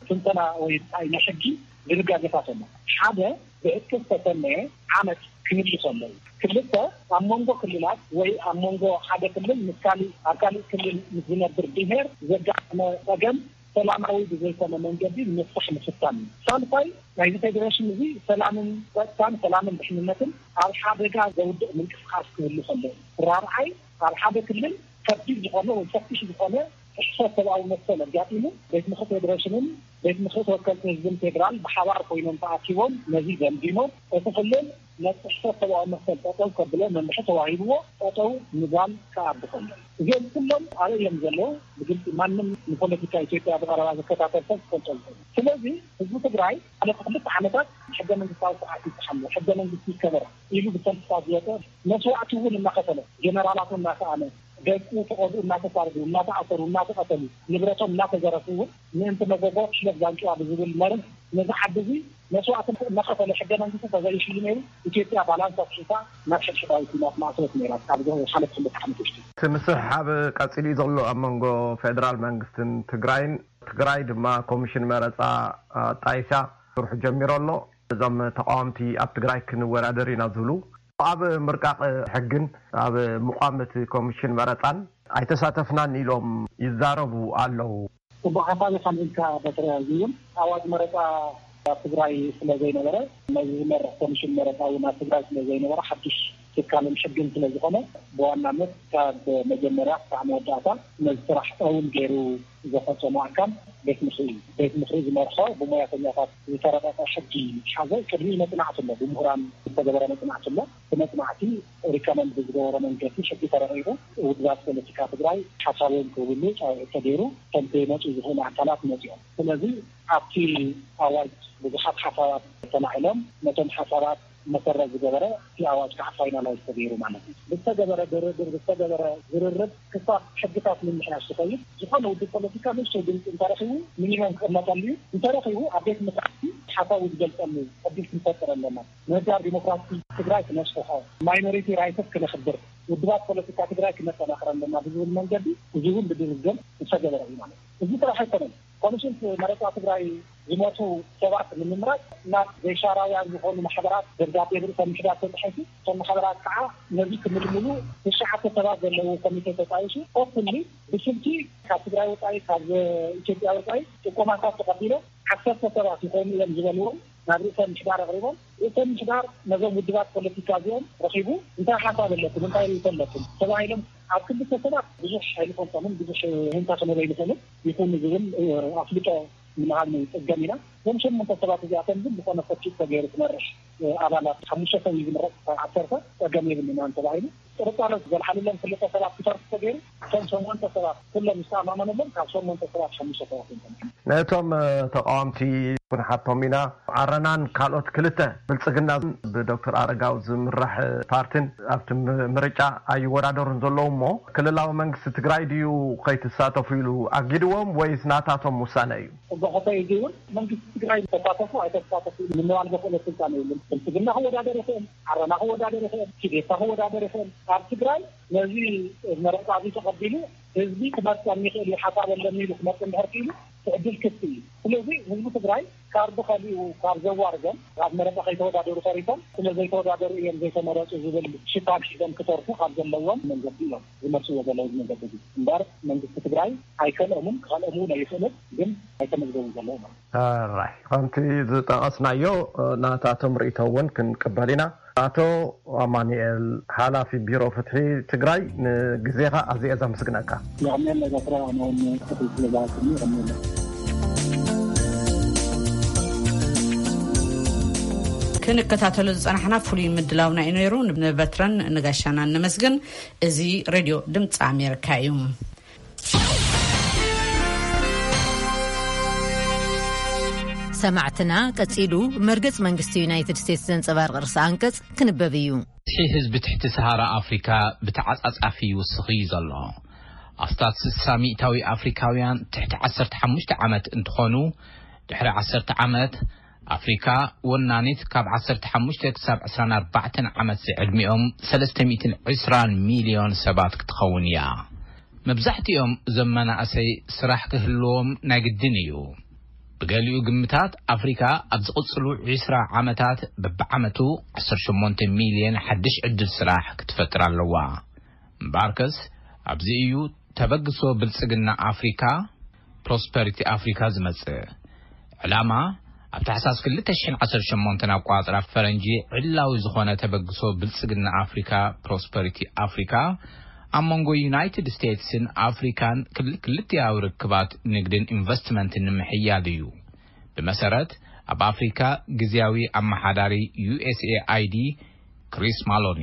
ትንተና ወይ ናይ ሕጊ ድንጋጌታት ኣሎ። ሓደ ብዕጥቂ ዝተሰነየ ዓመፅ ክህሉ ከሎ እዩ። ክልተ ኣብ መንጎ ክልላት ወይ ኣብ መንጎ ሓደ ክልል ምስ ካሊእ ኣብ ካሊእ ክልል ምስ ዝነብር ብሄር ዘጋጠመ ፀገም ሰላማዊ ብዘይኮነ መንገዲ ንምፍታሕ ምፍታን እዩ። ሳልሳይ ናይዚ ፌዴሬሽን እዚ ሰላምን ፀጥታን ሰላምን ድሕንነትን ኣብ ሓደጋ ዘውድቕ ምንቅስቃስ ክህሉ ከሎ እዩ። ራብዓይ ኣብ ሓደ ክልል ከቢድ ዝኾነ ወይ ሰፊሕ ዝኾነ ጥሕሰት ሰብኣዊ መሰል ኣጋጢሙ ቤት ምኽሪ ፌዴሬሽንን ቤት ምኽሪ ተወከልቲ ህዝብን ፌዴራል ብሓባር ኮይኖም ተኣኪቦም ነዚ ገምጊሞም እቲ ክልል ነቲ ጥሕሰት ሰብኣዊ መሰል ጠጠው ከብሎ መምርሒ ተዋሂብዎ ጠጠው ምባል ክኣቢ ከሎ እዚኦም ኩሎም ኣበይ እዮም ዘለዉ? ብግልፂ ማንም ንፖለቲካ ኢትዮጵያ ብቐረባ ዝከታተል ሰብ ክፈልጦ ዝኽእል። ስለዚ ህዝቢ ትግራይ ሓለፉ ክልተ ዓመታት ሕገ መንግስታዊ ስርዓት ይብፅሓሎ፣ ሕገ መንግስቲ ይከበር ኢሉ ብሰልፍታት ዝወፀ መስዋዕቲ እውን እናኸፈለ ጀነራላቱ እናሰኣነ ደቁ ተቐብኡ እናተሳደዱ እናተኣሰሩ እናተቐተሉ ንብረቶም እናተዘረፉ እውን ምእንቲ መጎጎ ሽለት ዛንጭዋ ብዝብል መርህ ነዚ ዓዲ እዚ መስዋዕቲ እናኸፈለ ሕገ መንግስቲ ተዘይሽሉ ነይሩ ኢትዮጵያ ባላንስ ኣትሒታ ናብ ሕድሕዳዊ ኩናት ማእሰረት ነይራ። ኣብ ዝሓለፈ ክልተ ዓመት ውሽጢ እቲ ምስሕሓብ ቀፂሉ እዩ ዘሎ ኣብ መንጎ ፌደራል መንግስትን ትግራይን። ትግራይ ድማ ኮሚሽን መረፃ ኣጣይሳ ስርሑ ጀሚሩ ኣሎ። እዞም ተቃወምቲ ኣብ ትግራይ ክንወዳደር ኢና ዝብሉ ኣብ ምርቃቕ ሕግን ኣብ ምቋም እቲ ኮሚሽን መረፃን ኣይተሳተፍናን ኢሎም ይዛረቡ ኣለዉ። ጽቡቕ ሓሳብ ኢኻ ኣልዒልካ በትረ። እዚ እውን ኣዋጅ መረፃ ኣብ ትግራይ ስለ ዘይነበረ ነዚ ዝመርሕ ኮሚሽን መረፃ እውን ኣብ ትግራይ ስለ ዘይነበረ ሓዱሽ ትካልን ሕግን ስለ ዝኾነ ብዋናነት ካብ መጀመርያ ክሳዕ መወዳእታ ነዚ ስራሕ እውን ገይሩ ዘፈፀሙ ኣካል ቤት ምኽሪ እዩ። ቤት ምኽሪ ዝመርሖ ብሞያተኛታት ዝተረቐቐ ሕጊ ዝሓዘ ቅድሚኡ መፅናዕቲ ኣሎ፣ ብምሁራን ዝተገበረ መፅናዕቲ ኣሎ። ብመፅናዕቲ ሪከመንድ ብዝገበሮ መንገዲ ሕጊ ተረቂቑ ውድባት ፖለቲካ ትግራይ ሓሳቦም ክህብሉ ፃውዒት ተገይሩ ከምቲ መፁ ዝኽእሉ ኣካላት መፂኦም። ስለዚ ኣብቲ ኣዋጅ ብዙሓት ሓሳባት ተላዒሎም ነቶም ሓሳባት መሰረት ዝገበረ እቲ ኣዋጅ ከዓ ፋይናላይዝ ተገይሩ ማለት እዩ። ብዝተገበረ ድርድር ብዝተገበረ ዝርርብ ክሳብ ሕግታት ምምሕያሽ ዝኸይድ ዝኾነ ውድብ ፖለቲካ ንእሽተይ ድምፂ እንተረኺቡ ሚኒመም ክቕመጠሉ እዩ። እንተረኺቡ ኣብ ቤት ምኽሪ ሓሳቡ ዝገልፀሉ ዕድል ክንፈጥር ኣለና። ምህዳር ዲሞክራሲ ትግራይ ክነስፍሖ፣ ማይኖሪቲ ራይትስ ክነኽብር፣ ውድባት ፖለቲካ ትግራይ ክነጠናኽር ኣለና ብዝብል መንገዲ እዚ እውን ብድርድር ዝተገበረ እዩ ማለት እዩ። እዚ ጥራሕ ኣይኮነን። ኮሚሽን መረፃ ትግራይ ዝሞቱ ሰባት ንምምራፅ ናብ ዘይሻራውያን ዝኾኑ ማሕበራት ደብዳቤ ብርእሰ ምሕዳር ተፃሒፉ፣ እቶም ማሕበራት ከዓ ነዚ ክምልምሉ ትሽዓተ ሰባት ዘለዎ ኮሚቴ ተጣይሹ። ኦፕንሊ ብስልኪ ካብ ትግራይ ወፃኢ፣ ካብ ኢትዮጵያ ወፃኢ ጥቆማታት ተቐቢሎም ዓሰርተ ሰባት ይኾኑ እዮም ዝበልዎም ናብ ርእሰ ምሕዳር ኣቕሪቦም። ርእሰ ምሕዳር ነዞም ውድባት ፖለቲካ እዚኦም ረኺቡ እንታይ ሓሳብ ኣለኩም፣ እንታይ ርእይቶ ኣለኩም ተባሂሎም ኣብ ክልተ ሰባት ብዙሕ ኣይንፈልጦምን፣ ብዙሕ ህንታ ክንብል ኣይንኽእልን። ይኹን ዝብል ኣፍልጦ ንምሃብ ንፀገም ኢና። እዞም ሸሞንተ ሰባት እዚኣቶም ግን ዝኾነ ፈኪት ተገይሩ ክመርሕ ኣባላት ሓሙሽተ ሰብ እዩ ዝምረፅ፣ ካብ ዓሰርተ ፀገም የብልናን ተባሂሉ። ጥርጣረ ዘልዓለሎም ክልተ ሰባት ክተርፉ ተገይሩ፣ እቶም ሸሞንተ ሰባት ኩሎም ዝተኣማመነሎም ካብ ሸሞንተ ሰባት ሓሙሽተ ሰባት እዮም። ነቶም ተቃወምቲ ክንሓቶም ኢና። ዓረናን ካልኦት ክልተ ብልፅግና ብዶክተር ኣረጋው ዝምራሕ ፓርቲን ኣብቲ ምርጫ ኣይወዳደሩን ዘለዉ እሞ፣ ክልላዊ መንግስቲ ትግራይ ድዩ ከይትሳተፉ ኢሉ ኣጊድዎም ወይስ ናታቶም ውሳነ እዩ? ሕጎ ኮተይ እዚ እውን መንግስቲ ትግራይ ተሳተፉ ኣይተሳተፉ ንምባል ዘኽእሎ ስልጣን የብሉን። ብልፅግና ክወዳደር ይኽእል፣ ዓረና ክወዳደር ይኽእል፣ ቲዴፓ ክወዳደር ይኽእል። ኣብ ትግራይ ነዚ መረፃ እዚ ተቐቢሉ ህዝቢ ክመርፀኒ ይኽእል እዩ፣ ሓሳብ ኣለኒ ኢሉ ክመርፅ እንድሕር ክኢሉ እቲ ዕድል ክፍቲ እዩ። ስለዚ ህዝቢ ትግራይ ካርዱ ከሊኡ ካብ ዘዋርዶም፣ ኣብ መረፃ ከይተወዳደሩ ተሪፎም፣ ስለ ዘይተወዳደሩ እዮም ዘይተመረፁ ዝብል ሽፋን ሒዞም ክተርፉ ካብ ዘለዎም መንገዲ እዮም ዝመርፅዎ ዘለዉ። እዚ መንገዲ እዚ እምበር መንግስቲ ትግራይ ኣይከልኦምን ክኸልኦም እውን ኣይኽእልን፣ ግን ኣይተመዝገቡን ዘለዉ ማለት እዩ። ራይ ከምቲ ዝጠቐስናዮ ናታቶም ርእይቶ እውን ክንቅበል ኢና። ኣቶ ኣማኑኤል ሓላፊ ቢሮ ፍትሒ ትግራይ ንግዜኻ ኣዝየ ዘመስግነካ። የቐንየለይ በትረ፣ ኣነ እውን ክፍል ስለ ዝሃብኩኒ የቐንየለይ። ክንከታተሎ ዝጸናሕና ፍሉይ ምድላውና እዩ ነይሩ። ንበትረን ንጋሻናን ነመስግን። እዚ ሬድዮ ድምፂ ኣሜሪካ እዩ። ሰማዕትና፣ ቀጺሉ መርገጽ መንግስቲ ዩናይትድ ስቴትስ ዘንጸባርቕ ርእሰ ኣንቀጽ ክንበብ እዩ። ብዝሒ ህዝቢ ትሕቲ ሰሃራ ኣፍሪካ ብተዓጻጻፊ ይውስኽ እዩ ዘሎ። ኣስታት ስሳ ሚእታዊ ኣፍሪካውያን ትሕቲ ዓሰርተ ሓሙሽተ ዓመት እንትኾኑ፣ ድሕሪ ዓሰርተ ዓመት ኣፍሪካ ወናኒት ካብ ዓሰርተ ሓሙሽተ ክሳብ ዕስራን ኣርባዕተን ዓመት ዝዕድሚኦም ሰለስተ ሚእትን ዕስራን ሚልዮን ሰባት ክትኸውን እያ። መብዛሕትኦም እዞም መናእሰይ ስራሕ ክህልዎም ናይ ግድን እዩ። ብገሊኡ ግምታት ኣፍሪካ ኣብ ዝቕፅሉ ዕስራ ዓመታት በብዓመቱ ዓሰርተ ሸሞንተ ሚልዮን ሓድሽ ዕድል ስራሕ ክትፈጥር ኣለዋ። እምበኣርከስ ኣብዚ እዩ ተበግሶ ብልፅግና ኣፍሪካ፣ ፕሮስፐሪቲ ኣፍሪካ ዝመፅእ። ዕላማ ኣብ ታሕሳስ ክልተ ሽሕን ዓሰርተ ሸሞንተን ኣቋፅራ ፈረንጂ ዕላዊ ዝኾነ ተበግሶ ብልፅግና ኣፍሪካ፣ ፕሮስፐሪቲ ኣፍሪካ፣ ኣብ መንጎ ዩናይትድ ስቴትስን ኣፍሪካን ክል- ክልቲኣዊ ርክባት ንግድን ኢንቨስትመንትን ንምሕያል እዩ። ብመሰረት ኣብ ኣፍሪካ ግዝያዊ ኣመሓዳሪ ዩ ኤስ ኤ ኣይ ዲ ክሪስ ማሎኒ።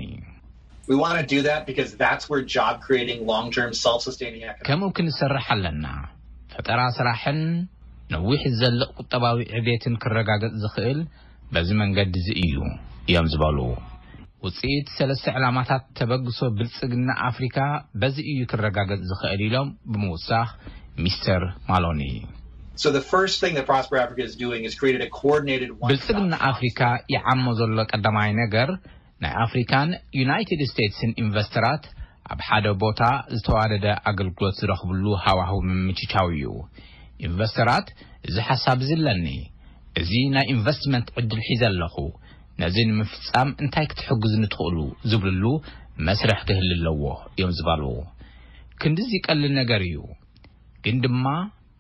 We want to do that because that's where job creating, long term, self sustaining economic ከምኡ ክንሰርሕ ኣለና። ፈጠራ ስራሕን ነዊሕ ዝዘልቕ ቁጠባዊ ዕቤትን ክረጋገጽ ዝኽእል በዚ መንገዲ እዚ እዩ እዮም ዝበሉ። ውፅኢት ሰለስተ ዕላማታት ተበግሶ ብልፅግና ኣፍሪካ በዚ እዩ ክረጋገጽ ዝኽእል ኢሎም ብምውሳኽ ሚስተር ማሎኒ። So the first thing that Prosper Africa is doing is created a coordinated one ብልፅግና ኣፍሪካ ይዓሞ ዘሎ ቀዳማይ ነገር ናይ ኣፍሪካን ዩናይትድ ስቴትስን ኢንቨስተራት ኣብ ሓደ ቦታ ዝተዋደደ ኣገልግሎት ዝረኽብሉ ሃዋህው ምምችቻው እዩ። ኢንቨስተራት እዚ ሓሳብ እዚ ኣለኒ፣ እዚ ናይ ኢንቨስትመንት ዕድል ሒዘ ኣለኹ፣ ነዚ ንምፍፃም እንታይ ክትሕግዙኒ ትኽእሉ ዝብልሉ መስርሕ ክህሉ ኣለዎ እዮም ዝበሉ። ክንድዚ ቀሊል ነገር እዩ፣ ግን ድማ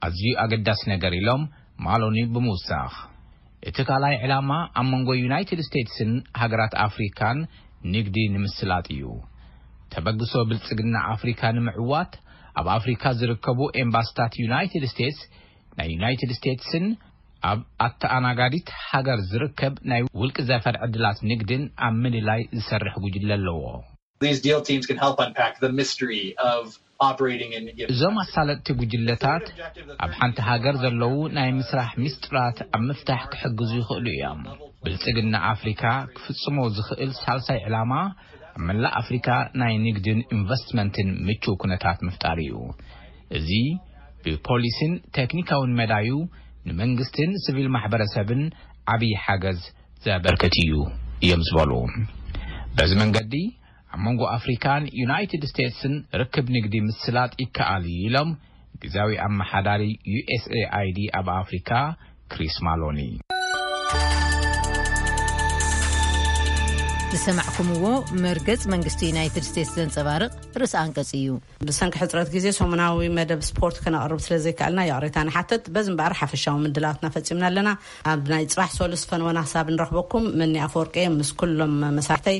ኣዝዩ ኣገዳሲ ነገር ኢሎም ማሎኒ ብምውሳኽ፣ እቲ ካልኣይ ዕላማ ኣብ መንጎ ዩናይትድ ስቴትስን ሃገራት ኣፍሪካን ንግዲ ንምስላጥ እዩ። ተበግሶ ብልፅግና ኣፍሪካ ንምዕዋት ኣብ ኣፍሪካ ዝርከቡ ኤምባስታት ዩናይትድ ስቴትስ ናይ ዩናይትድ ስቴትስን ኣብ ኣተኣናጋዲት ሃገር ዝርከብ ናይ ውልቂ ዘፈር ዕድላት ንግድን ኣብ ምልላይ ዝሰርሕ ጉጅለ ኣለዎ። These deal teams can help unpack the mystery of operating in እዞም ኣሳለጥቲ ጉጅለታት ኣብ ሓንቲ ሃገር ዘለዉ ናይ ምስራሕ ሚስጥራት ኣብ ምፍታሕ ክሕግዙ ይኽእሉ እዮም። ብልጽግና ኣፍሪካ ክፍጽሞ ዝኽእል ሳልሳይ ዕላማ ኣብ መላእ ኣፍሪካ ናይ ንግድን ኢንቨስትመንትን ምቹው ኩነታት ምፍጣር እዩ። እዚ ብፖሊሲን ቴክኒካውን መዳዩ ንመንግስትን ሲቪል ማሕበረሰብን ዓብዪ ሓገዝ ዘበርክት እዩ እዮም ዝበሉ። በዚ መንገዲ ኣብ መንጎ ኣፍሪካን ዩናይትድ ስቴትስን ርክብ ንግዲ ምስላጥ ይከኣል እዩ ኢሎም ግዛዊ ኣመሓዳሪ ዩ ኤስ ኤ ኣይ ዲ ኣብ ኣፍሪካ ክሪስ ማሎኒ። ዝሰማዕኩምዎ መርገጽ መንግስቲ ዩናይትድ ስቴትስ ዘንጸባርቕ ርእሰ ኣንቀጽ እዩ። ብሰንኪ ሕጽረት ግዜ ሰሙናዊ መደብ ስፖርት ከነቕርብ ስለ ዘይከኣልና ይቕሬታ ንሓተት። በዚ እምበኣር ሓፈሻዊ ምድላዋትና ፈጺምና ኣለና። ኣብ ናይ ጽባሕ ሶሉስ ፈንወና ክሳብ ንረኽበኩም፣ መኒ ኣፈወርቂ ምስ ኩሎም መሳርሕተይ